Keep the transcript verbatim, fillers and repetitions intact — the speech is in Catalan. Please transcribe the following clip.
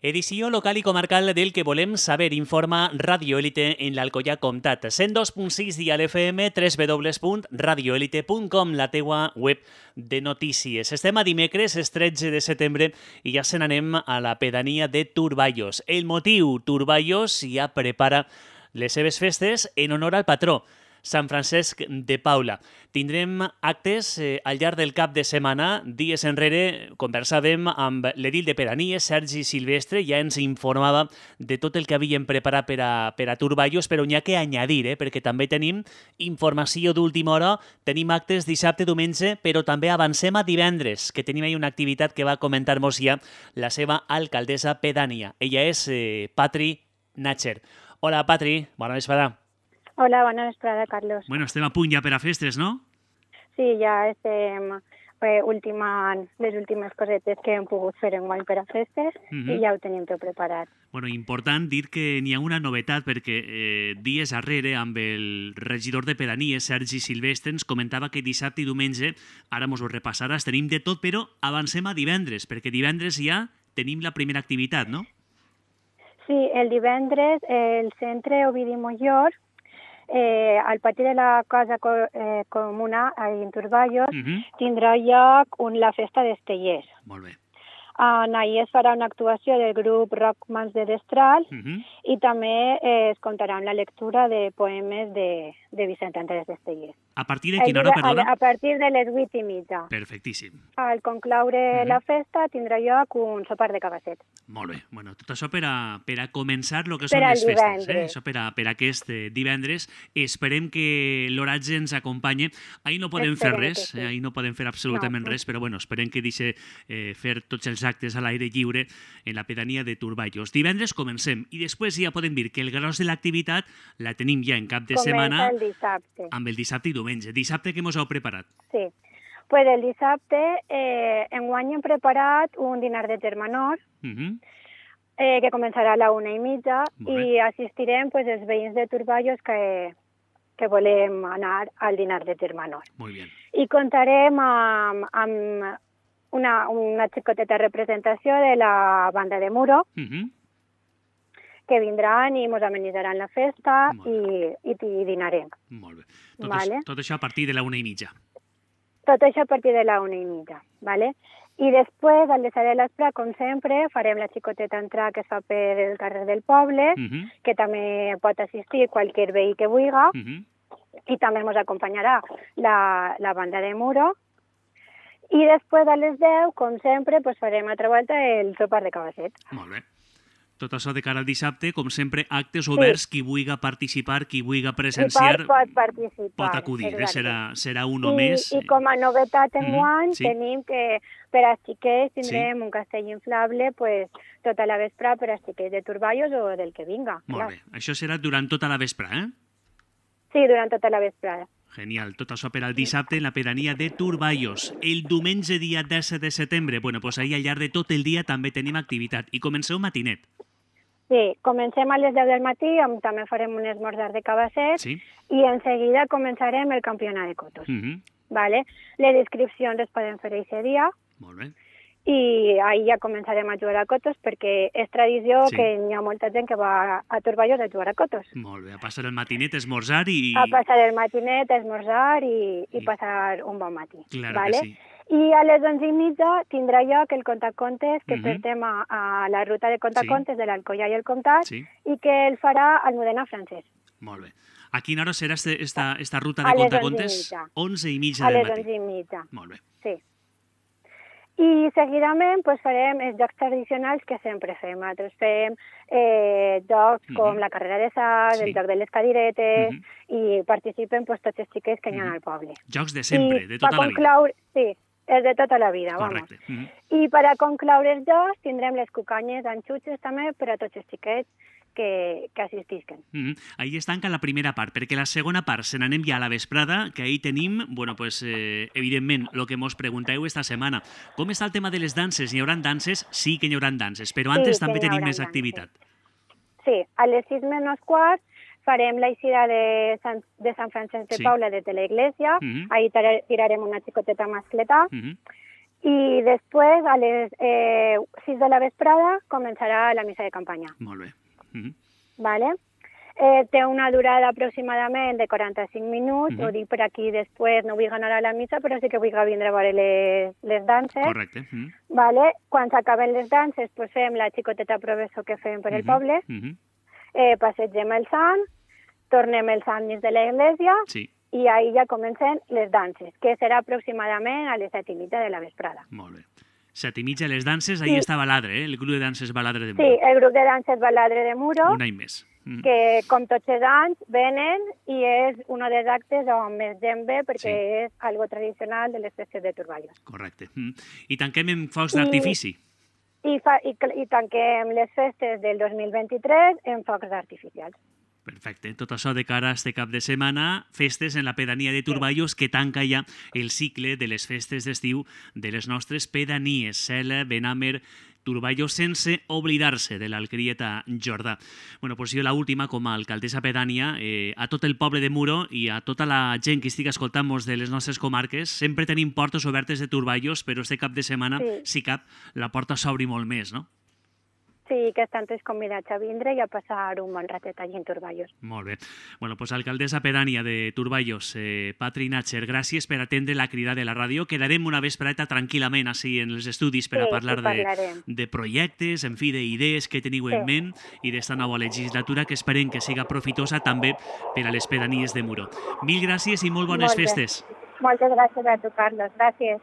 Edició local i comarcal del que volem saber, informa Radio Élite en l'Alcoià Comtat. cent dos punt sis dial F M, w w w punt radio elite punt com, la teua web de notícies. Estem a dimecres, és tretze de setembre, i ja se n'anem a la pedania de Turballos. El motiu, Turballos ja prepara les seves festes en honor al patró, Sant Francesc de Paula. Tindrem actes eh, al llarg del cap de setmana. Dies enrere conversàvem amb l'edil de Pedanies, Sergi Silvestre, ja ens informava de tot el que havien preparat per a, per a Turballos, però n'hi ha que añadir, eh, perquè també tenim informació d'última hora, tenim actes dissabte, diumenge, però també avancem a divendres, que tenim ahí una activitat que va comentar-nos ja la seva alcaldessa pedània. Ella és eh, Patri Natcher. Hola, Patri, bona vesprada. Hola, bona vesprada, Carlos. Bueno, estem a punt ja per a festes, no? Sí, ja estem eh, ultimant les últimes cosetes que hem pogut fer enguany per a festes uh -huh. i ja ho tenim tot preparat. Bueno, important dir que n'hi ha una novetat perquè eh, dies arrere amb el regidor de Pedanies, Sergi Silvestre, ens comentava que dissabte i diumenge, ara mos ho repassaràs, tenim de tot, però avancem a divendres, perquè divendres ja tenim la primera activitat, no? Sí, el divendres el centre Ovidi Mollor, Eh, al pati de la Casa eh, Comuna, en Turballos, uh -huh. tindrà lloc un, la festa d'Estellers. Molt bé. En ahir es farà una actuació del grup Rock Mans de Destral uh -huh. i també eh, es contarà amb la lectura de poemes de, de Vicent Andrés d'Estellers. A partir de quina hora, perdona? A, a partir de les vuit i mitja. Perfectíssim. Al concloure uh -huh. la festa tindrà lloc un sopar de cabasset. Molt bé. Bueno, tot això per a, per a començar el que per són les divendres. festes. Eh? Això per a, per a aquest eh, divendres. Esperem que l'oratge ens acompanyi. Ahir no podem esperem fer res, sí. eh? Ahir no podem fer absolutament no. res, però bueno, esperem que deixi eh, fer tots els actes a l'aire lliure en la pedania de Turballos. Divendres comencem i després ja podem dir que el gros de l'activitat la tenim ja en cap de Comença setmana el dissabte. amb el dissabte i diumenge. Dissabte, què mos heu preparat? Sí, pues el dissabte eh, enguany hem preparat un dinar de termenor uh -huh. eh, que començarà a la una i mitja i assistirem pues, els veïns de Turballos que, que volem anar al dinar de termenor. Molt bé. I contarem amb, amb una, una xicoteta representació de la banda de Muro, uh -huh. que vindran i ens amenitzaran la festa i, i, i dinarem. Molt bé. Tot, vale? això, tot això a partir de la una i mitja. Tot això a partir de la una i mitja, ¿vale? I després, al desar de l'espre, com sempre, farem la xicoteta entrada que es fa per el carrer del poble, uh -huh. que també pot assistir qualsevol veí que vulgui, uh -huh. i també ens acompanyarà la, la banda de Muro. I després, a les deu, com sempre, pues, farem altra volta el sopar de cabasset. Molt bé. Tot això de cara al dissabte, com sempre, actes oberts, sí. Qui vulgui participar, qui vulgui presenciar, pot, pot participar. Pot acudir, eh? serà, serà un o I, més. I com a novetat en guany, mm, sí. tenim que per als xiquets tindrem sí. un castell inflable pues, tota la vesprada per als xiquets de Turballos o del que vinga. Molt clar. bé. Això serà durant tota la vesprada, eh? Sí, durant tota la vesprada. Genial. Tot això per al dissabte en la pedania de Turballos. El diumenge, dia disset de setembre, bueno, pues ahir al llarg de tot el dia també tenim activitat. I comenceu matinet. Sí, comencem a les deu del matí, on també farem un esmorzar de cabasset, sí. i en seguida començarem el campionat de cotos. Uh -huh. ¿Vale? Les inscripcions es poden fer aquest dia. Molt bé. I ahir ja començarem a jugar a cotos perquè és tradició sí. que hi ha molta gent que va a Turballos a jugar a cotos. Molt bé, a passar el matinet, esmorzar i... A passar el matinet, esmorzar i, i, i passar un bon matí. Claro ¿vale? que sí. I a les onze i mitja tindrà lloc el contacontes que uh -huh. portem a, a la ruta de contacontes sí. de l'Alcoià i el Comtat sí. i que el farà al Modena francès. Molt bé. A quina hora serà este, esta, esta ruta de contacontes? onze i mitja del matí. A les onze i mitja. Molt bé. Sí. I seguidament pues, farem els jocs tradicionals que sempre fem. Nosaltres fem eh, jocs uh -huh. com la carrera de sal, sí. el joc de les cadiretes, uh -huh. i participen pues, tots els xiquets que uh -huh. hi ha al poble. Jocs de sempre, I de tota la concloure, vida. Sí, és de tota la vida, correcte. vamos. Uh -huh. I per a concloure els jocs tindrem les cucanyes d'anxutxes també per a tots els xiquets que, que assistisquen. Mm -hmm. Ahí es tanca la primera part, perquè la segona part se n'anem ja a la vesprada, que ahí tenim, bueno, pues, eh, evidentment, el que mos pregunteu esta setmana. Com està el tema de les danses? Hi haurà danses? Sí que hi haurà danses, però antes sí, també tenim més danses. activitat. Sí, a les sis menys quart farem la eixida de Sant, de Sant Francesc de sí. Paula des de la iglesia, mm -hmm. ahí tirarem una xicoteta mascleta, mm -hmm. I després, a les eh, sis de la vesprada, començarà la missa de campanya. Molt bé. Mm-hmm. Vale? Eh, té una durada aproximadament de quaranta-cinc minuts, mm-hmm. ho dic per aquí després, no vull anar a la missa, però sí que vull vindre a veure les, les danses. Correcte. Mm-hmm. Vale? Quan s'acaben les danses, pues fem la xicoteta professó que fem per el mm-hmm. poble, mm-hmm. eh, passegem el sant, tornem el sant dins de l'església, sí. i ahir ja comencen les danses, que serà aproximadament a les set i mitja de la vesprada. Molt bé. Set i mitja les danses, ahir sí. està Baladre, eh? El grup de danses Baladre de Muro. Sí, el grup de danses Baladre de Muro. Un any més. Mm. Que, com tots els anys, venen i és un dels actes on més gent ve perquè sí. és algo tradicional de les festes de Turballos. Correcte. Mm. I tanquem amb focs d'artifici. I, fa, i, I tanquem les festes del dos mil vint-i-tres en focs artificials. Perfecte. Tot això de cara a este cap de setmana, festes en la pedania de Turballos, que tanca ja el cicle de les festes d'estiu de les nostres pedanies, Sela, Benàmer, Turballos, sense oblidar-se de l'Alcrieta Jordà. Bueno, pues jo l'última, com a alcaldessa pedània, eh, a tot el poble de Muro i a tota la gent que estigui escoltant-nos de les nostres comarques, sempre tenim portes obertes de Turballos, però este cap de setmana, sí. si cap, la porta s'obri molt més, no? Sí, que estan tots convidats a vindre i a passar un bon ratet allí en Turballos. Molt bé. Bueno, pues alcaldessa pedània de Turballos, eh, Patri Natcher, gràcies per atendre la crida de la ràdio. Quedarem una vespreta tranquil·lament així en els estudis per sí, a parlar sí, de, de projectes, en fi, d'idees que teniu sí. en ment i d'esta nova legislatura que esperem que siga profitosa també per a les pedanies de Muro. Mil gràcies i molt bones molt festes. Moltes gràcies a tu, Carlos. Gràcies.